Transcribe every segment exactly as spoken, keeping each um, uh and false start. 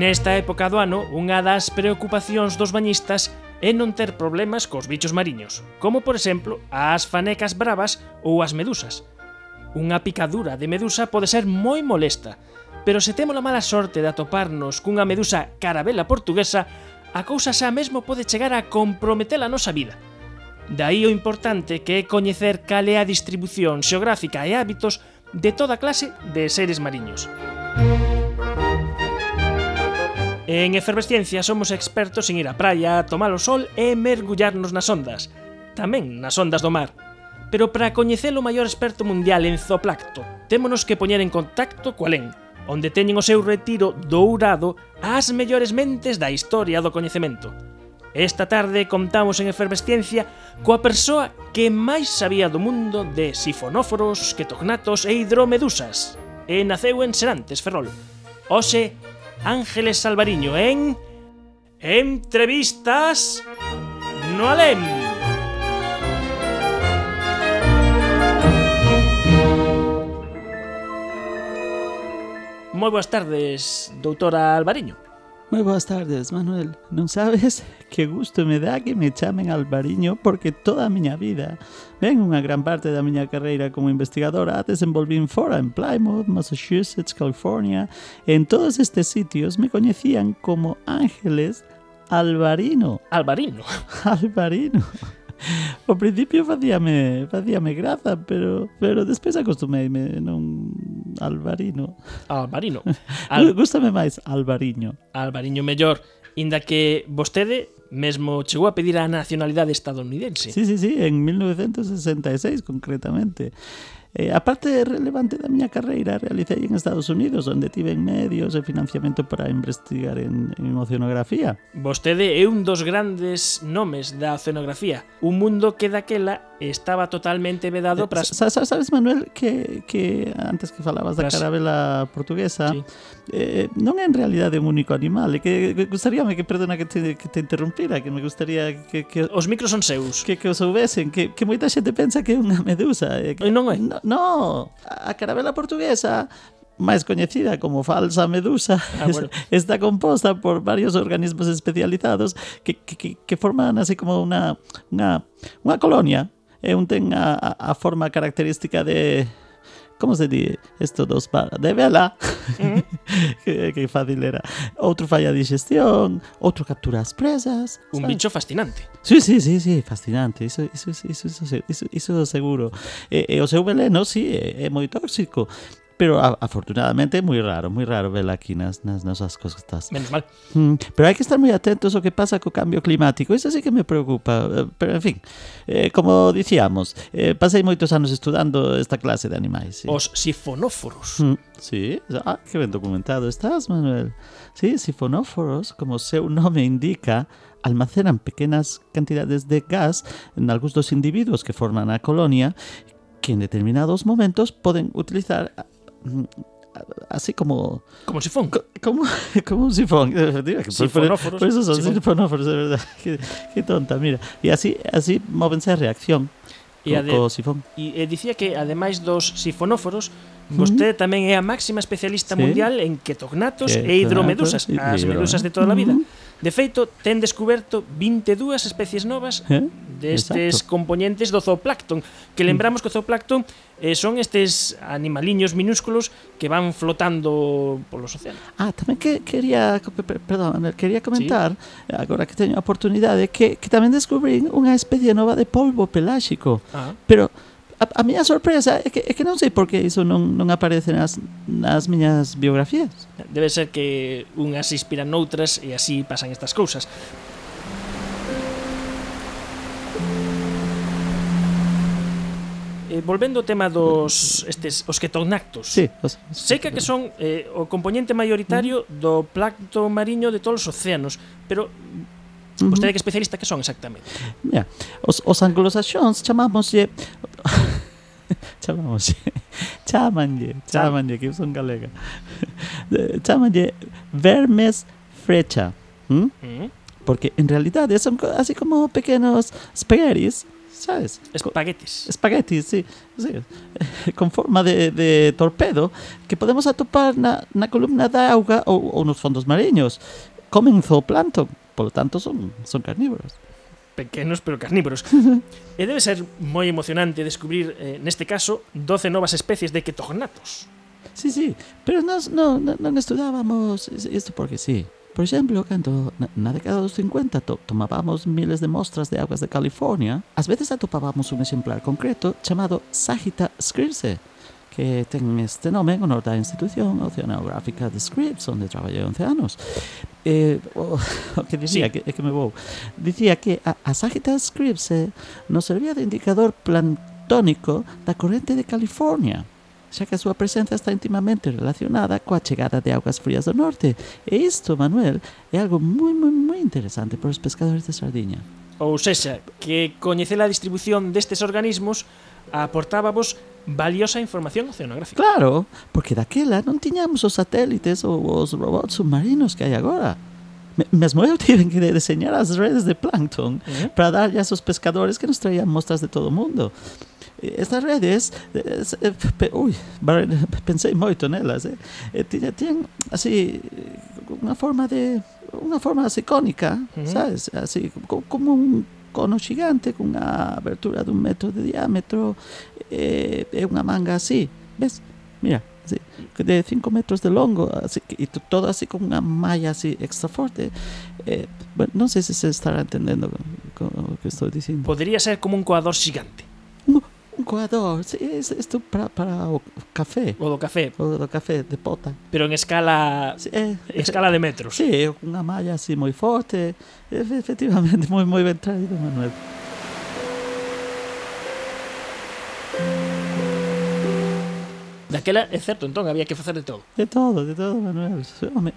Nesta época do ano, unha das preocupacións dos bañistas é non ter problemas cos bichos mariños, como por exemplo as fanecas bravas ou as medusas. Unha picadura de medusa pode ser moi molesta, pero se temos a mala sorte de atoparnos cunha medusa carabela portuguesa, a cousa xa mesmo pode chegar a comprometer a nosa vida. Daí o importante que é coñecer cal é a distribución xeográfica e hábitos de toda clase de seres mariños. En Efervesciencia somos expertos en ir á praia, tomar o sol e mergullarnos nas ondas, tamén nas ondas do mar. Pero para coñecer o maior experto mundial en zooplancto, témonos que poñer en contacto co Alén, onde teñen o seu retiro dourado as mellores mentes da historia do coñecemento. Esta tarde contamos en Efervesciencia coa persoa que máis sabía do mundo de sifonóforos, ketognatos e hidromedusas, e naceu en Serantes, Ferrol. Hoxe, Ángeles Alvariño en Entrevistas no Alén. Moi boas tardes, doutora Alvariño. Moi boas tardes, Manuel. Non sabes que gusto me dá que me chamen Alvariño, porque toda a miña vida, ben unha gran parte da miña carreira como investigadora, desenvolvín fora en Plymouth, Massachusetts, California. En todos estes sitios me coñecían como Ángeles Alvariño. Alvariño? Alvariño. Ao principio facíame, facíame graza, pero pero despois acostumeime, non Alvarino. Alvarino. Al... Gústame máis Alvariño. Alvariño mellor, inda que vostede mesmo chegou a pedir a nacionalidade estadounidense. Sí, sí, sí, en mil novecientos sesenta e seis concretamente. Eh, a parte relevante da miña carreira realicei en Estados Unidos, onde tiven medios e financiamento para investigar en, en oceanografía. Vostede é un dos grandes nomes da oceanografía, un mundo que daquela estaba totalmente vedado para... Eh, sabes, Manuel, que, que antes que falabas da carabela portuguesa, sí. eh, non é en realidade un único animal, e que, que gustaríame que, perdona que te, que te interrumpira, que me gustaría que... que os micros son seus. Que, que os soubesen, que, que moita xente pensa que é unha medusa. E que, non é? No, no, a carabela portuguesa, máis coñecida como falsa medusa, ah, bueno. está composta por varios organismos especializados que, que, que forman así como unha, unha, unha colonia, e un ten a, a forma característica de... Como se di isto dos para? De vela. Uh-huh. que, que fácil era. Outro falla a digestión, outro captura as presas. Un ¿sabes? Bicho fascinante. Sí, sí, sí, sí, fascinante. Iso, iso, iso, iso, iso, iso seguro. E, e o seu veleno, sí, é, é moi tóxico. Pero a, afortunadamente é moi raro, moi raro vela aquí nas, nas nosas costas. Menos mal. Mm, pero hai que estar moi atentos ao que pasa co cambio climático. Iso sí que me preocupa. Pero, en fin, eh, como dicíamos, eh, pasei moitos anos estudando esta clase de animais. Sí. Os sifonóforos. Mm, sí, ah, que ben documentado estás, Manuel. Sí, sifonóforos, como o seu nome indica, almacenan pequenas cantidades de gas en algúns dos individuos que forman a colonia, que en determinados momentos poden utilizar así como como un sifón co, como, como un sifón sifonóforos, por eso son sifón. sifonóforos, de verdad. Qué, qué tonta, mira, y así así móvense a reacción e co, co sifón. E, e dicía que ademais dos sifonóforos, vostede uh-huh. tamén é a máxima especialista sí. mundial en ketognatos que, e hidromedusas, e as hidro, medusas de toda a vida. Uh-huh. De feito, ten descuberto vinte e dúas especies novas eh? destes Exacto. componentes do zooplancton, que lembramos que o zooplancton eh, son estes animaliños minúsculos que van flotando polos océanos. Ah, tamén que quería, perdón, quería comentar, sí. agora que teño a oportunidade, que, que tamén descubrín unha especie nova de polvo peláxico, ah. pero a, a miña sorpresa é que, é que non sei por que iso non, non aparece nas, nas miñas biografías. Debe ser que unhas se inspiran noutras e así pasan estas cousas. Eh, volvendo ao tema dos estes os ketognatos. Sí, os, os, sei que, que son eh, o componente maioritario do plancton mariño de todos os océanos, pero vostede que especialista que son exactamente? Mira, os, os anglosaxóns chamámoslle chamámoslle chamanlle, chamanlle, que eu son galega chamanlle vermes frecha, ¿Mm? Mm. porque en realidade son así como pequenos spaghettis, sabes? Espaguetis. Espaguetis, sí, sí. Con forma de, de torpedo que podemos atopar na, na columna de auga ou, ou nos fondos mariños. Comen zooplancton, polo tanto son, son carnívoros. Pequenos pero carnívoros. E debe ser moi emocionante descubrir, eh, neste caso, doce novas especies de ketognatos. Sí, sí, pero nos, no, no, non estudábamos isto porque sí. Por exemplo, cando na década dos cincuenta to, tomábamos miles de mostras de augas de California, ás veces atopábamos un exemplar concreto chamado Sagitta scripse, que ten este nome en honor da institución oceanográfica de Scripps, onde traballei once anos. Eh, o, o que dicía, sí. que, que me vou, dicía que a, a Sagitta scripse nos servía de indicador planctónico da corrente de California, xa que a súa presenza está intimamente relacionada coa chegada de augas frías do norte. E isto, Manuel, é algo moi, moi, moi interesante para os pescadores de sardiña. Ou sexa, que coñecer a distribución destes organismos aportábamos valiosa información oceanográfica. Claro, porque daquela non tiñamos os satélites ou os robots submarinos que hai agora. Mesmo eu tiven que deseñar as redes de plancton uh-huh. para darlle a esos pescadores que nos traían mostras de todo o mundo. Estas redes, eh, pe, ui, pensei moito nelas, eh? Tiñan, tiñan así unha forma de unha forma así cónica, uh-huh. sabes? Así como un cono xigante con unha abertura dun metro de diámetro e eh, unha manga así, ves? Mira, así, de cinco metros de longo, así, e todo así con unha malla así extra forte. Eh, bueno, non sei se se estará entendendo o que estou dicindo. Podría ser como un coador xigante. Un, un coador, sí, isto para, para o café. O do café. O do café de pota. Pero en escala sí, eh, escala de metros. Sí, unha malla así moi forte. Efectivamente, moi moi ben traído, Manuel. Daquela, é certo, entón, había que facer de todo. De todo, de todo, Manuel. Home,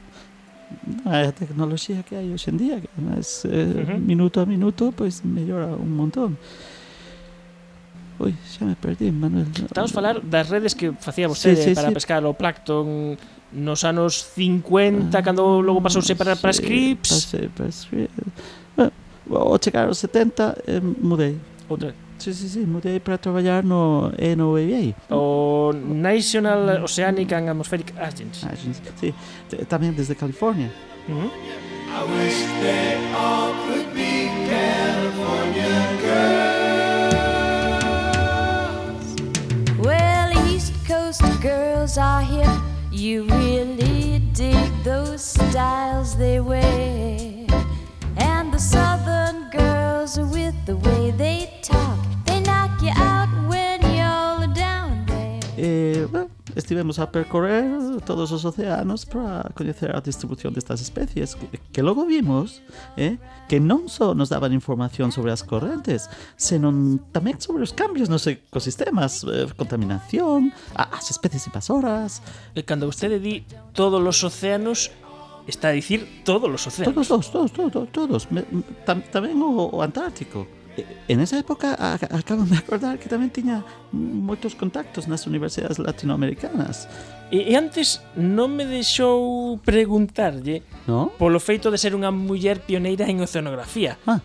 a tecnoloxía que hai hoxe en día, que además, eh, uh-huh. minuto a minuto, pois pues, mellora un montón. Ui, xa me perdí, Manuel. Estamos a falar das redes que facía vostede sí, sí, para sí. pescar o plancton nos anos cincuenta, ah, cando logo pasouse para, sí, para Scripps. Pasei para Scripps. Bueno, ao chegar aos setenta, eh, mudei. Outra? Sí, sí, sí, mudei para traballar no N O A A. O National Oceanic and Atmospheric Agency. Agency, sí, tamén desde California. Uh-huh. I wish they all could be California girls. Well, East Coast girls are hip. You really dig those styles they wear. And the Southern girls, with the way they talk, they knock you out when you're down there. Eh, bueno, estivemos a percorrer todos os océanos para coñecer a distribución destas especies que, que logo vimos eh, que non só nos daban información sobre as correntes, senón tamén sobre os cambios nos ecosistemas, eh, contaminación, as especies invasoras. E cando vostede di todos os océanos, está a dicir todos os océanos. Todos, todos, todos, todos, todos. Tam, tamén o, o Antártico. En esa época a, acabo de acordar que tamén tiña moitos contactos nas universidades latinoamericanas. E, e antes non me deixou preguntarlle, ¿no?, polo feito de ser unha muller pioneira en oceanografía. Ah.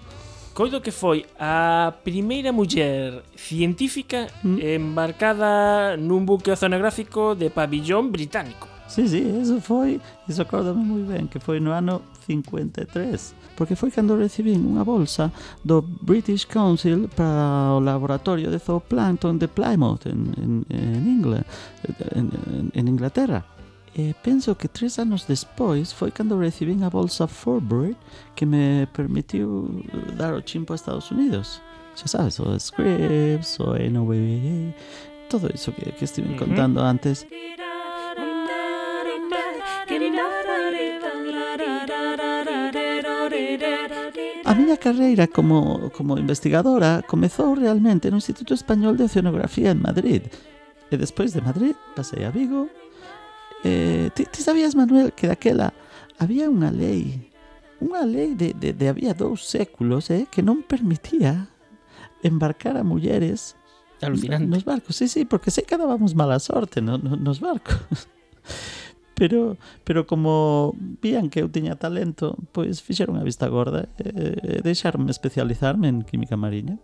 Coido que foi a primeira muller científica mm. embarcada nun buque oceanográfico de pabillón británico. Sí, sí, eso foi, eso acórdame moi ben, que foi no ano cincuenta e tres, porque foi cando recibín unha bolsa do British Council para o laboratorio de zooplancton de Plymouth en, en, en, Ingl- en, en, en Inglaterra. E penso que tres anos despois foi cando recibín a bolsa Fulbright que me permitiu dar o chimpo a Estados Unidos. Xa sabes, o Scripps, o N O A A, todo iso que, que estive uh-huh. contando antes. A miña carreira como, como investigadora comezou realmente no Instituto Español de Oceanografía en Madrid. E despois de Madrid pasei a Vigo. Eh, ti, ti sabías, Manuel, que daquela había unha lei, unha lei de, de, de había dous séculos eh, que non permitía embarcar a mulleres Alucinante. nos barcos. Sí, sí, porque sei que dábamos mala sorte no, no, nos barcos. Pero, pero como vían que eu tiña talento, pois fixeron a vista gorda e, e deixaronme especializarme en química mariña.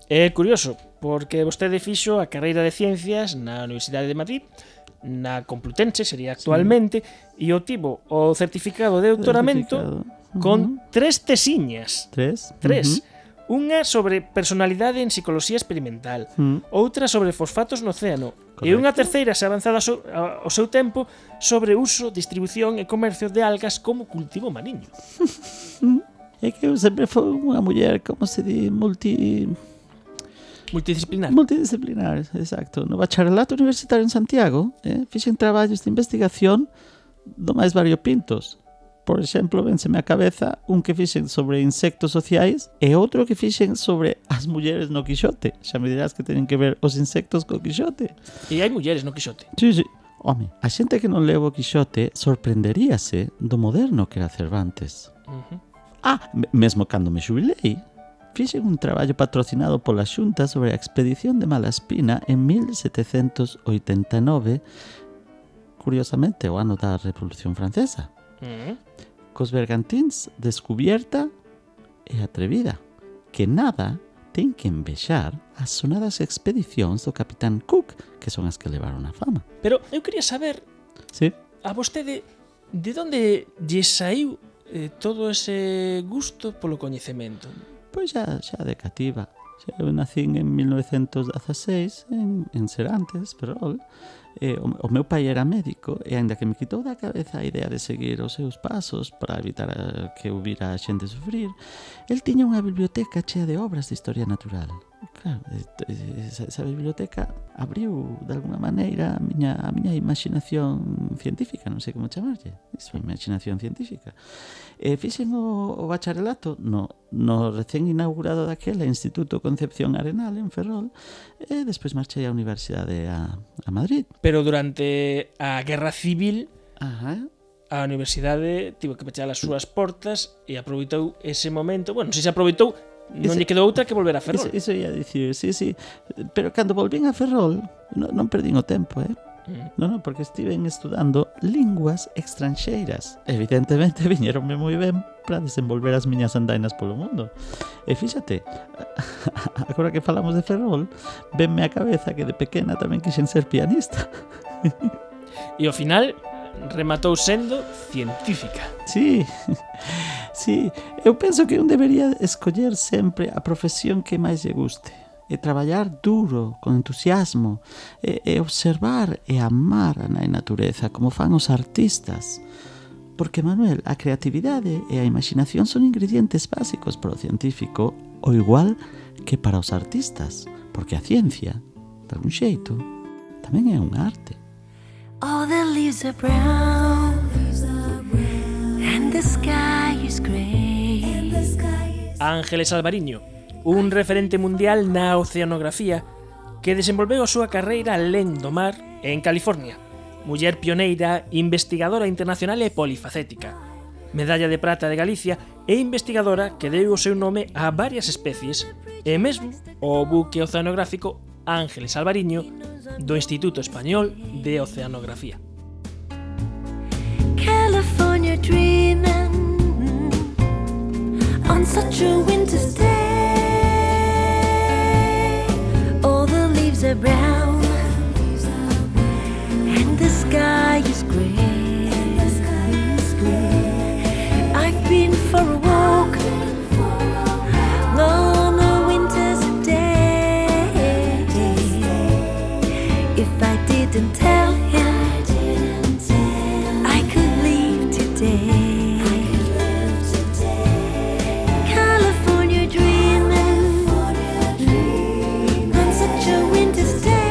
É curioso, porque vostede fixo a carreira de Ciencias na Universidade de Madrid, na Complutense sería actualmente, sí. E obtivo o certificado de doutoramento certificado. Con uh-huh. tres tesiñas. Tres? Tres. Uh-huh. Unha sobre personalidade en psicología experimental, uh-huh. outra sobre fosfatos no océano, correcto. E unha terceira, xa avanzada ao seu tempo, sobre uso, distribución e comercio de algas como cultivo mariño. É que eu sempre foi unha muller, como se di, multi... Multidisciplinar. Multidisciplinar, exacto. No bacharelato universitario en Santiago, eh, fixen traballos de investigación do máis variopintos. Por exemplo, vénseme a cabeza un que fixen sobre insectos sociais e outro que fixen sobre as mulleres no Quixote. Xa me dirás que teñen que ver os insectos co Quixote. E hai mulleres no Quixote. Sí, sí. Home, a xente que non leu o Quixote sorprenderíase do moderno que era Cervantes. Uh-huh. Ah, mesmo cando me xubilei, fixen un traballo patrocinado pola Xunta sobre a expedición de Malaspina en mil setecentos oitenta e nove, curiosamente o ano da Revolución Francesa. Uh-huh. Cos bergantíns Descubierta e Atrevida, que nada ten que envexar as sonadas expedicións do Capitán Cook, que son as que levaron a fama. Pero eu quería saber, sí. a vostede, de onde lle saiu eh, todo ese gusto polo coñecemento? Pois xa, xa de cativa. Eu nacín en mil novecentos dezaseis en, en Serantes, Ferrol. Eh, o, o meu pai era médico e aínda que me quitou da cabeza a idea de seguir os seus pasos para evitar a, que eu vira a xente sufrir, el tiña unha biblioteca chea de obras de historia natural. Claro, esa, esa biblioteca abriu de alguna maneira a miña, a miña imaginación científica, non sei como chamarlle, iso, imaginación científica. E fixen o, o bacharelato no, no recén inaugurado daquela Instituto Concepción Arenal en Ferrol e despois marchei á Universidade a, a Madrid. Pero durante a Guerra Civil, Ajá. a universidade tivo que pechar as súas portas e aproveitou ese momento. Bueno, se se aproveitou, non lle quedou outra que volver a Ferrol. Iso, iso ia dicir, sí, sí. Pero cando volvín a Ferrol, non, non perdín o tempo, eh? Mm. Non, non, porque estiven estudando linguas extranxeiras. Evidentemente, viñeronme moi ben para desenvolver as miñas andainas polo mundo. E fíxate, agora que falamos de Ferrol, venme a cabeza que de pequena tamén quixen ser pianista. E ao final rematou sendo científica. Sí, sí. Eu penso que un debería escoller sempre a profesión que máis lle guste. E traballar duro, con entusiasmo, e, e observar e amar a natureza como fan os artistas. Porque, Manuel, a creatividade e a imaginación son ingredientes básicos para o científico, o igual que para os artistas, porque a ciencia, de algún xeito, tamén é un arte. All the leaves are brown and the sky is grey. Ángeles Alvariño, un referente mundial na oceanografía que desenvolveu a súa carreira alén do mar en California. Muller pioneira, investigadora internacional e polifacética. Medalla de prata de Galicia e investigadora que deu o seu nome a varias especies e mesmo o buque oceanográfico Ángeles Alvariño do Instituto Español de Oceanografía. California dreaming on such a winter's day. All the leaves are brown and the sky is grey. I've been for a walk on a winter's day. If I didn't tell him I could leave today. California dreaming on such a winter's day.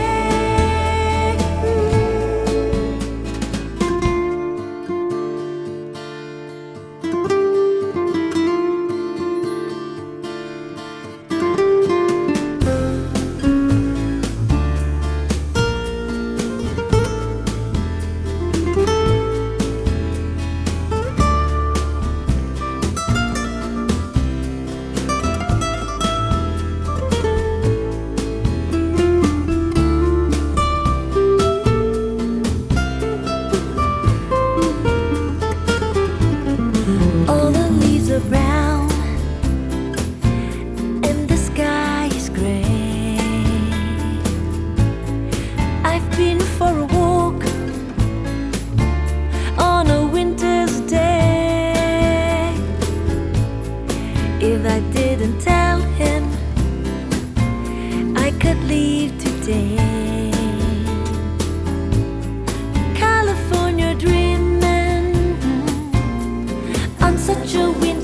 I didn't tell him I could leave today. California dreaming on such a windy